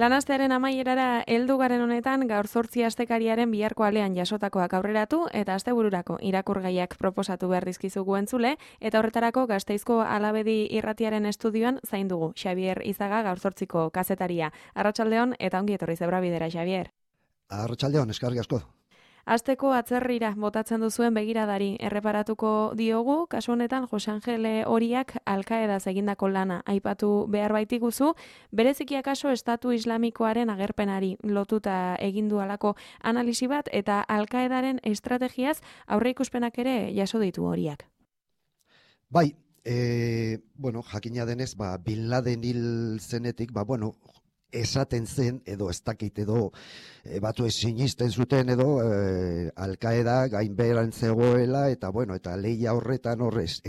Lanastearen amaierara heldu garen honetan gaur 8 astekariaren biharko alean jasotakoak aurreratu eta astebururako irakurgaiak proposatu behar dizkizugu entzule eta horretarako Gasteizko Alabedi irratiaren estudioan zain dugu Xabier Izaga gaur 8ko kazetaria. Arratsaldeon eta ongi etorri Zebrabidera, Xabier. Arratsaldeon, eskerrik asko. Asteko atzerrira botatzen duzuen begiradari erreparatuko diogu, kasu honetan Jose Angel Horiak Alkaedaz egindako lana aipatu behar baitiguzu, bereziki akaso Estatu Islamikoaren agerpenari lotuta egin dualako analisi bat eta Alkaedaren estrategiaz aurreikuspenak ere jaso ditu Horiak. Bai, jakina denez, Bin Laden hil zenetik, esaten zen, edo ez dakit edo batu ez sinisten zuten edo Alkaeda gainbeheran zegoela eta eta lehia horretan horrez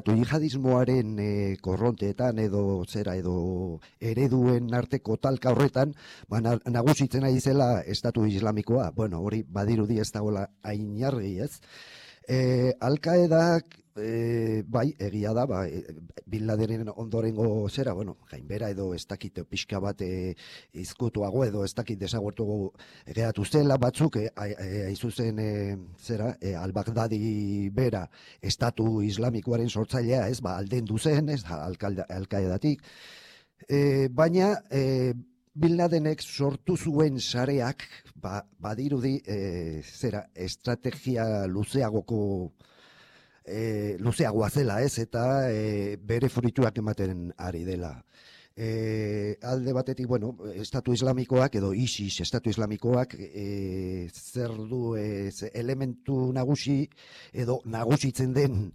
jihadismoaren korronteetan edo ereduen arteko talka horretan nagusitzen ari zela Estatu Islamikoa. Hori badirudi ez dagoela hain argi, ez? Alkaedak egia da, Bin Ladenen ondorengo gainbera edo ez dakit pixka bat izkutuago edo ez dakit desagertu geratu zela batzuk, aizuzen al-Baghdadi bera Estatu Islamikoaren sortzailea, aldendu zen, Alkaedatik, baina Bin Ladenek sortu zuen sareak badirudi estrategia luzeagoa zela, ez, eta bere fruituak ematen ari dela. Alde batetik, Estatu Islamikoak edo ISIS Estatu Islamikoak zer du elementu nagusi edo nagusitzen den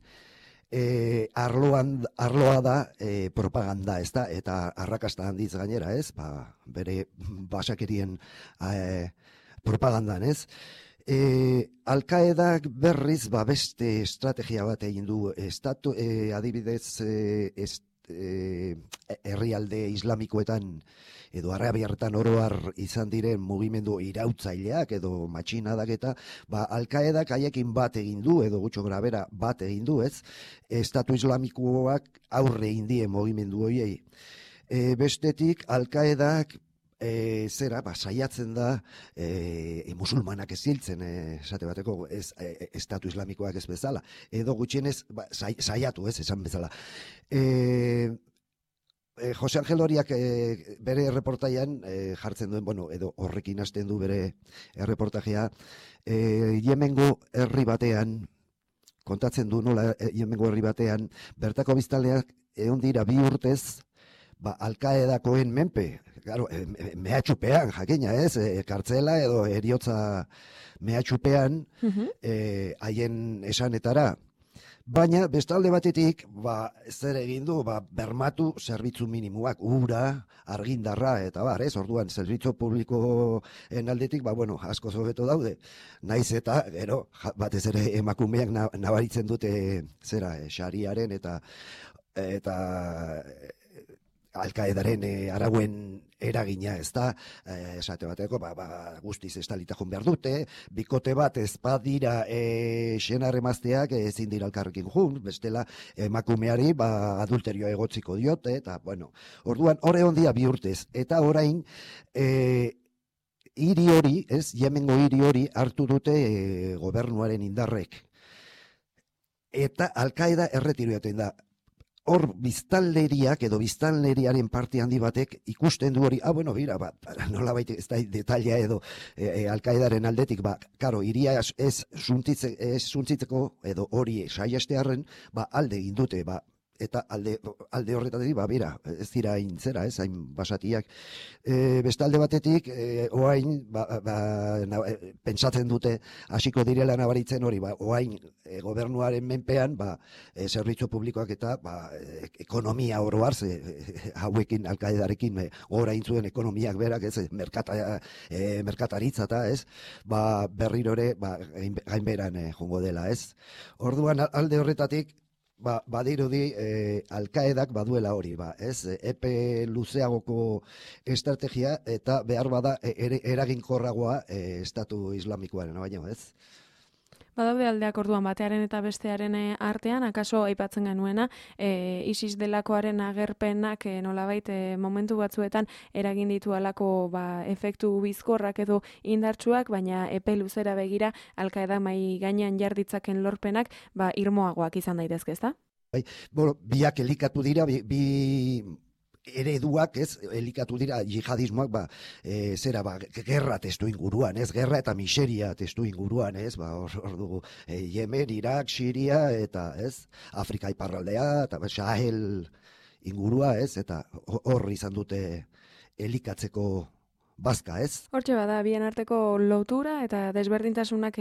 arloa da propaganda, ez da, eta arrakasta handiz gainera, ez, bere basakerien propagandan, ez. Alkaedak berriz beste estrategia bat egin du, adibidez herrialde islamikoetan edo arabiarretan oroar izan diren mugimendu irautzaileak edo matxinadak eta Alkaedak haiekin bat egin du edo gutxo grabera bat egin du, ez? Estatu Islamikoak aurre egin die mugimendu horiei. Bestetik Alkaedak saiatzen da musulmanak ez hiltzen, esate bateko, Estatu Islamikoak ez bezala, edo gutxienez saiatu, ez, esan bezala. Jose Angel Horiak bere erreportaian jartzen duen, edo horrekin hasten du bere erreportajea, Yemengo herri batean, kontatzen du nola Yemengo herri batean, bertako biztanleak egon dira 2 urtez, Alkaedakoen menpe, mehatxupean, jakina, ez, kartzela edo eriotza mehatxupean, haien esanetara. Baina, bestalde batetik, zer egin du, bermatu zerbitzu minimoak, ura, argindarra, eta ez, orduan, zerbitzu publikoen aldetik, asko hobeto daude. Naiz eta, gero, batez ere emakumeak nabaritzen dute, xariaren eta Alkaedaren arauen eragina, ez da, esate bateko, guztiz estalitakun behar dute, bikote bat ez badira senar emazteak ezin dira elkarrekin jun, bestela emakumeari adulterioa egotziko diote, eta, orduan, hor egon dia 2 urtez, eta orain, hiri hori, ez, Yemengo hiri hori hartu dute gobernuaren indarrek, eta Alkaeda erretiru jaten da. Hor biztanleriak edo biztanleriaren parte handi batek ikusten du hori, nola baita ez da detalia edo Alkaedaren aldetik, iria ez suntzitzeko edo hori saiestearren, alde egin dute, eta alde horretatik, ez dira hain basatiak. Bestalde batetik, oain, pentsatzen dute, hasiko direla nabaritzen hori, oain, gobernuaren menpean, zerbitzu publikoak eta ekonomia oroar, hauekin, Alkaedarekin, orain zuen ekonomiak berak, ez, merkataritza eta, ez, berriro ere, gainberan jongo dela, ez. Orduan, alde horretatik, badirudi Alkaedak baduela hori, ez, epe luzeagoko estrategia eta behar bada eraginkorragoa Estatu Islamikoaren, baina, ez? Badaude aldeak orduan batearen eta bestearen artean, akaso aipatzen genuena, ISIS delakoaren agerpenak nolabait momentu batzuetan eragin ditu alako efektu bizkorrak edo indartsuak, baina epe luzera begira Al-Qaeda mai gainean jarditzaken lorpenak irmoagoak izan daitezke, ezta? Bai, biak elikatu dira, bi ereduak, elikatu dira jihadismoak, gerra testu inguruan, gerra eta miseria testu inguruan, hor dugu, Yemen, Irak, Siria, eta, Afrika iparraldea, eta Sahel ingurua, eta hor izan dute elikatzeko bazka, Hortxe bada, bien arteko lotura eta desberdintasunak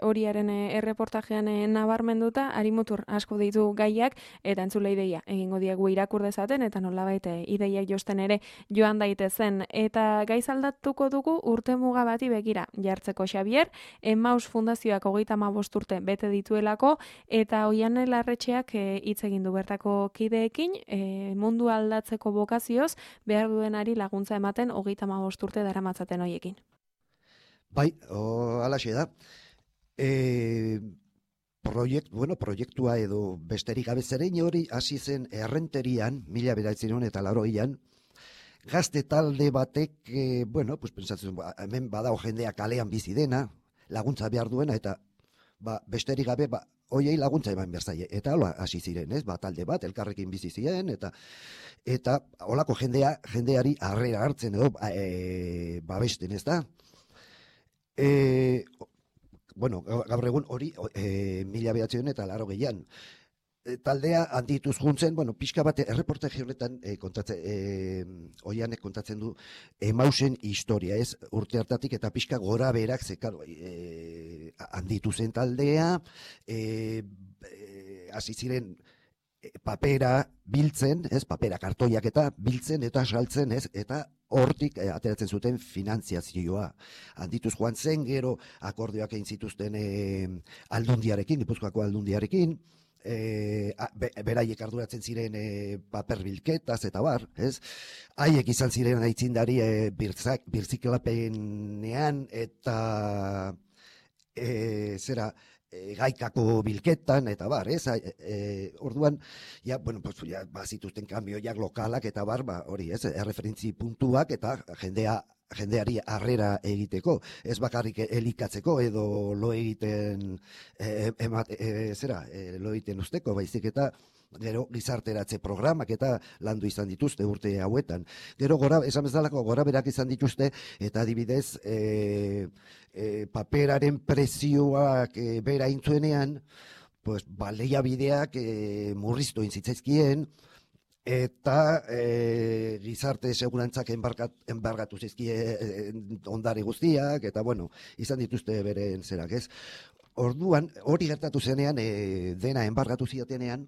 horiaren erreportajean nabarmenduta, Arimutur asko ditu gaiak eta entzule ideia egingo diegu irakur dezaten eta nolabait ideiak josten ere joan daitezen. Eta gaiz aldatuko dugu urtemuga bati begira jartzeko Xabier, Emmaus Fundazioak 35 urte bete dituelako eta Oiane Larretxeak hitz egin du bertako kideekin, mundu aldatzeko bokazioz behar duenari laguntza ematen 35 urte daramatzaten hoiekin. Bai, halaxe da. Proiektua edo besterik gabe zerein hori hasi zen Errenterian, 1980an, gazte talde batek, pentsatzen, hemen badago jendea kalean bizi dena, laguntza behar duena, eta besterik gabe, hoiei laguntza eman behar zaie. Eta hola hasi ziren, talde bat, elkarrekin bizi ziren, eta holako jendeari harrera hartzen edo babesten, ez da? Gaur egun hori 1980an taldea handituz juntzen, pixka bat erreportaje honetan Oianek kontatzen du Emmausen historia, urte hartatik eta pixka gora berak handitu zen taldea, hasi ziren papera biltzen, papera kartoiak eta biltzen eta saltzen, eta hortik ateratzen zuten finantziazioa. Handituz joan zen, gero akordioak egin zituzten Aldundiarekin, Gipuzkoako Aldundiarekin, beraiek arduratzen ziren paper bilketaz eta bar, haiek izan ziren aitzindari birziklapenean eta gaikako bilketan eta bar, orduan, bazituzten kanbioiak lokalak eta bar, hori, erreferentzi puntuak eta jendeari harrera egiteko, ez bakarrik elikatzeko edo lo egiten lo egiten usteko, baizik eta gero gizarteratze programak eta landu izan dituzte urte hauetan. Gero esan bezalako gora berak izan dituzte eta adibidez paperaren prezioak bera intzuenean, baliabideak murriztu intzitzaizkien, eta gizarte segurantzak enbargatu zizkie ondare guztiak, eta izan dituzte beren zerak, Orduan, hori gertatu zenean, dena enbargatu ziotenean,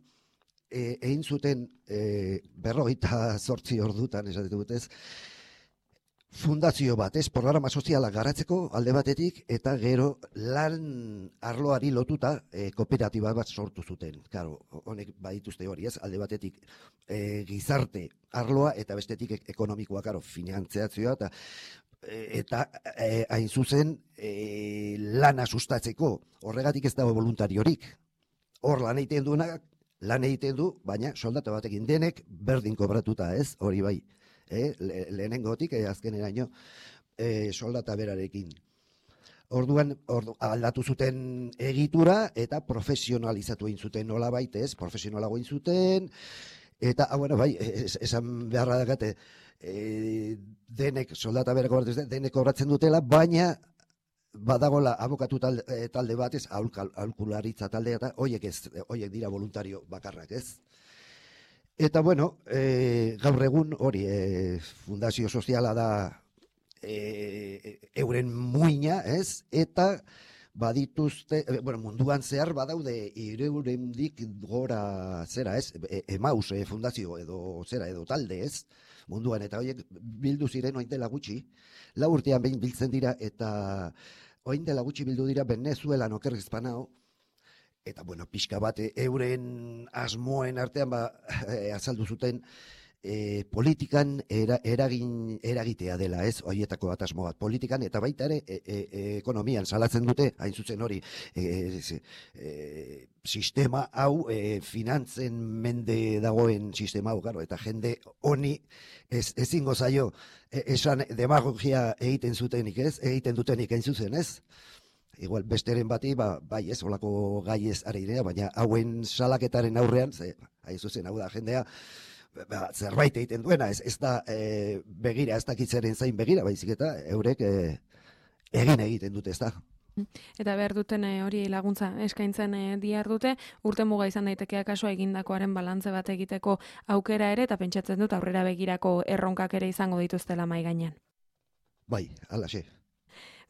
egin zuten 48 ordutan, esaten dut, fundazio bat, programa soziala garatzeko alde batetik, eta gero lan arloari lotuta kooperatiba bat sortu zuten. Claro, honek badituzte hori, alde batetik gizarte arloa eta bestetik ekonomikoa, finantziazioa, eta hain zuzen lana sustatzeko, horregatik ez dago voluntariorik. Hor lan egiten duenak, lan egiten du, baina soldata batekin denek berdin kobratuta, hori bai. Lehenengotik, azkeneraino soldata berarekin. Orduan aldatu zuten egitura eta profesionalizatu egin zuten nolabait, profesionalago egin zuten, eta, esan beharra dakate, denek soldata bera kobratu zuten, denek kobratzen dutela, baina badagola abokatu talde bat, aholkularitza taldea, eta horiek dira voluntario bakarrak, Eta, gaur egun hori, fundazio soziala da euren muina, eta badituzte, munduan zehar badaude 300 gora zera, Emmaus fundazio edo zera edo talde, munduan, eta horiek bildu ziren oin dela gutxi, 4 urtean behin biltzen dira, eta oin dela gutxi bildu dira Venezuelan oker Hispanao, eta, pixka bat, euren asmoen artean azaldu zuten politikan eragitea dela, ez, horietako bat asmo bat, politikan, eta baita ere ekonomian salatzen dute, hain zuzen hori, sistema hau, finantzen mende dagoen sistema hau, eta jende honi ezingo zaio, esan demagogia egiten dutenik hain zuzen, ez? Igual besteren bati, bai ez, olako gai ez ari dira, baina hauen salaketaren aurrean, hain zuzen, hau da jendea, zerbait egiten duena, ez da begira, ez dakitzeren zain begira, baizik eta eurek egin egiten dute, ez da. Eta behar duten hori laguntza eskaintzen dihar dute, urte muga izan daitekeak kaso egindakoaren balantze bat egiteko aukera ere, eta pentsatzen dut aurrera begirako erronkak ere izango dituztela mai gainean. Bai, alaxe.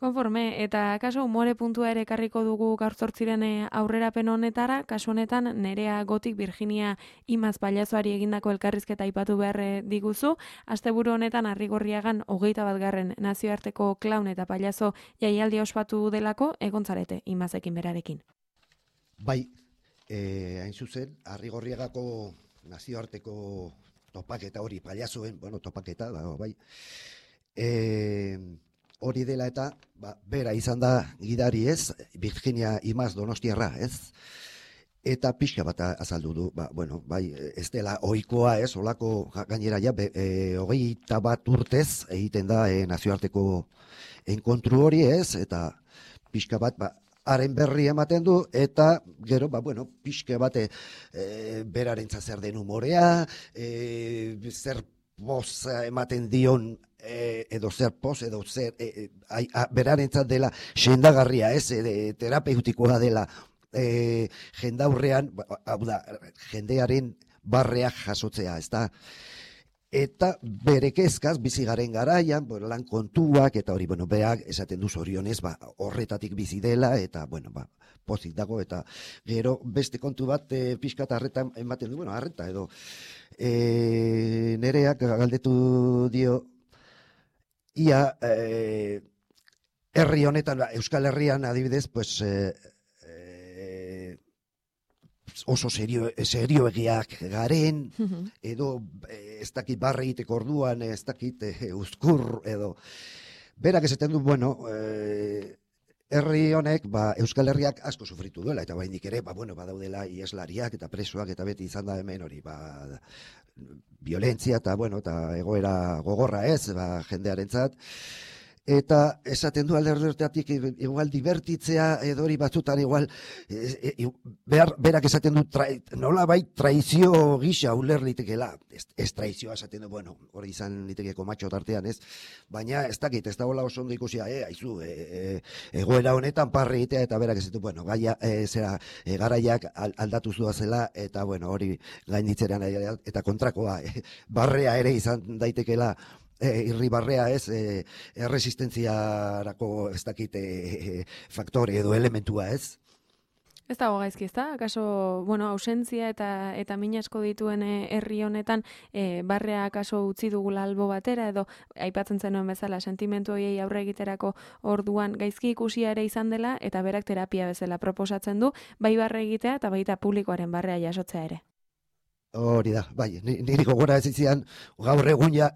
Konforme, eta kaso umore puntua ere ekarriko dugu gaur zortziren aurrerapen honetara, kasu honetan Nerea Gotik Virginia Imaz Palazoari egindako elkarrizketa aipatu behar diguzu, asteburu honetan Arrigorriagan 21. nazioarteko klaun eta palazo jaialdia ospatu delako, egontzarete Imazekin berarekin. Bai, hain zuzen, Arrigorriagako nazioarteko topaketa hori, palazoen, topaketa, bai, hori dela eta, bera izan da gidari ez, Virginia Imaz Donostiarra ez, eta pixka bat azaldu du, bai, ez dela ohikoa ez, olako gainera ja, 21 urtez egiten da nazioarteko enkontru hori ez, eta pixka bat, haren berri ematen du, eta gero, pixka bat berarentzat zer den humorea, zer poz ematen dion, edo zer poz, edo zer berarentzat dela sendagarria, ez, terapeutikoa dela jendaurrean, hau da, jendearen barreak jasotzea, ez da, eta bere kezkaz bizi garen garaian, lan kontuak, eta hori, berak esaten du zorionez, horretatik bizi dela, eta, pozik dago, eta gero beste kontu bat pixkat arreta ematen du, arreta edo, Nereak galdetu dio, ia herri honetan, Euskal Herrian adibidez, pues, oso serioegiak garen, edo ez dakit barre egiteko orduan, ez dakit uzkur, edo berak esaten du, herri honek, Euskal Herriak asko sufritu duela, eta baindik ere, badaudela ieslariak eta presoak, eta beti izan da hemen hori, violentzia eta egoera gogorra ez, jendearentzat, eta esaten du alderdeetatik igual divertitzea edo hori batzutan igual berak esaten du nola bai traizio gisa uler litekela, ez traizioa esaten du, hori izan litekeko matxo tartean ez, baina ez dakit, ez da hola oso ondo ikusia, aizu, egoera honetan parre egitea, eta berak esaten du, garaiak aldatu zuazela, eta hori gainditzeran eta kontrakoa, barrea ere izan daitekela, irribarrea ez, erresistentziarako ez dakit faktore edo elementua ez. Ez dago gaizki, ez da? Akaso, ausentzia eta min asko dituen herri honetan, barrea akaso utzi dugula albo batera, edo aipatzen zenuen bezala, sentimentu horiei aurre egiterako orduan gaizki ikusia ere izan dela, eta berak terapia bezala proposatzen du, bai barre egitea eta baita publikoaren barrea jasotzea ere. Hori da, bai, niri gogora ez izan, gaur egun ia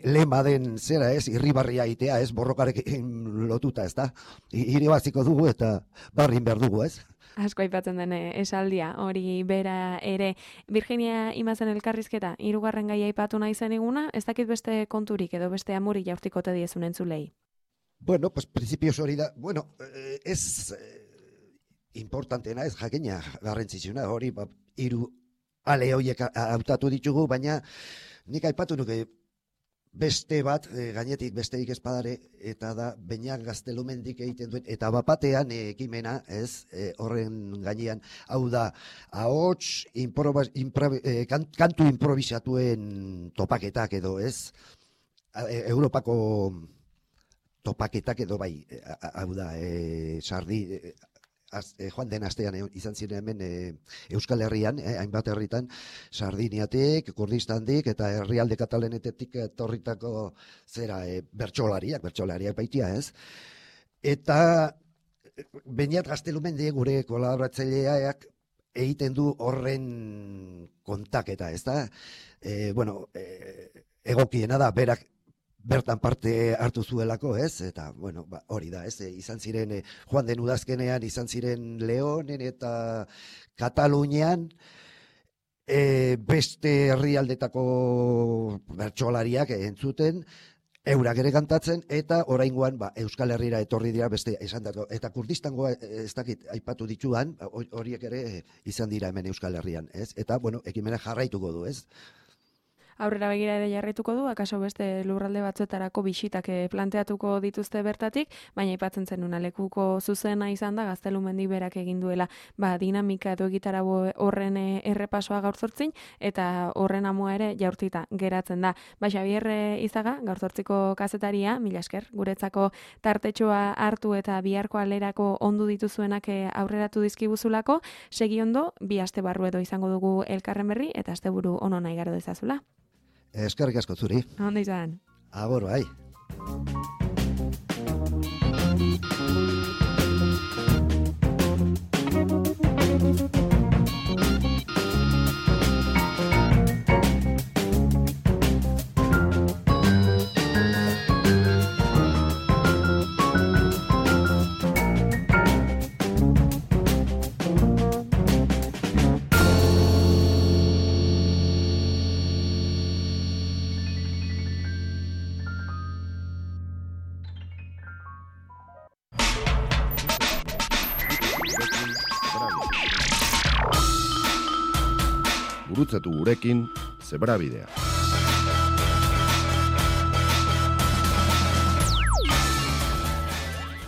lema den zera ez, irribarria itea ez, borrokarekin lotuta ez da, iribaziko dugu eta barrin behar dugu ez. Asko aipatzen den esaldia, hori bera ere. Virginia Imazen elkarrizketa, 3. gaia aipatu nahi zen eguna, ez dakit beste konturik edo beste amuri jaurtikote diezun entzulei? Pues principios hori da, ez importantena ez, jakina garrantzitsuna, hori, hiru ale horiek hautatu ditugu, baina nik aipatu nuke beste bat, gainetik besterik espadare, eta da, Beñat Gaztelumendik egiten duen, eta bapatean ekimena, ez, horren gainean, hau da, ahots, kantu improvisatuen topaketak edo, ez, Europako topaketak edo bai, hau da, sardi, joan den astean izan ziren hemen Euskal Herrian, hainbat herritan, Sardiniatik, Kurdistandik eta herrialde katalanetetik etorritako zera bertsolariak baitia, ez? Eta Beñat Gaztelumendi gure kolaboratzaileak egiten du horren kontaketa, ez da? Egokiena da, berak bertan parte hartu zuelako, ez? Eta, hori da, ez? Izan ziren, joan den udazkenean, izan ziren Leonen eta Katalunian, beste herrialdetako bertsolariak entzuten, eurak ere kantatzen, eta oraingoan Euskal Herrira etorri dira beste esan dago. Eta Kurdistangoa ez dakit aipatu dituan, horiek ere izan dira hemen Euskal Herrian, ez? Eta, ekimena jarraituko du, ez? Aurrera begira ere jarraituko du, akaso beste lurralde batzuetarako bisitak planteatuko dituzte bertatik, baina aipatzen zenuna lekuko zuzena izan da Gaztelumendi berak egin duela dinamika edo egitarau horren errepasoa gaur zortzin, eta horren amua ere jaurtita geratzen da. Xabier Izaga, gaur zortziko kazetaria, mila esker, guretzako tartetxoa hartu eta biharko alerako ondu dituzuenak aurreratu dizkiguzulako, segi ondo, 2 aste barru edo izango dugu elkarren berri, eta asteburu ono nahi garo dezazula. Eskerrik asko zuri. Ondo izan. Agor, bai. Gurutzatu gurekin Zebrabidea.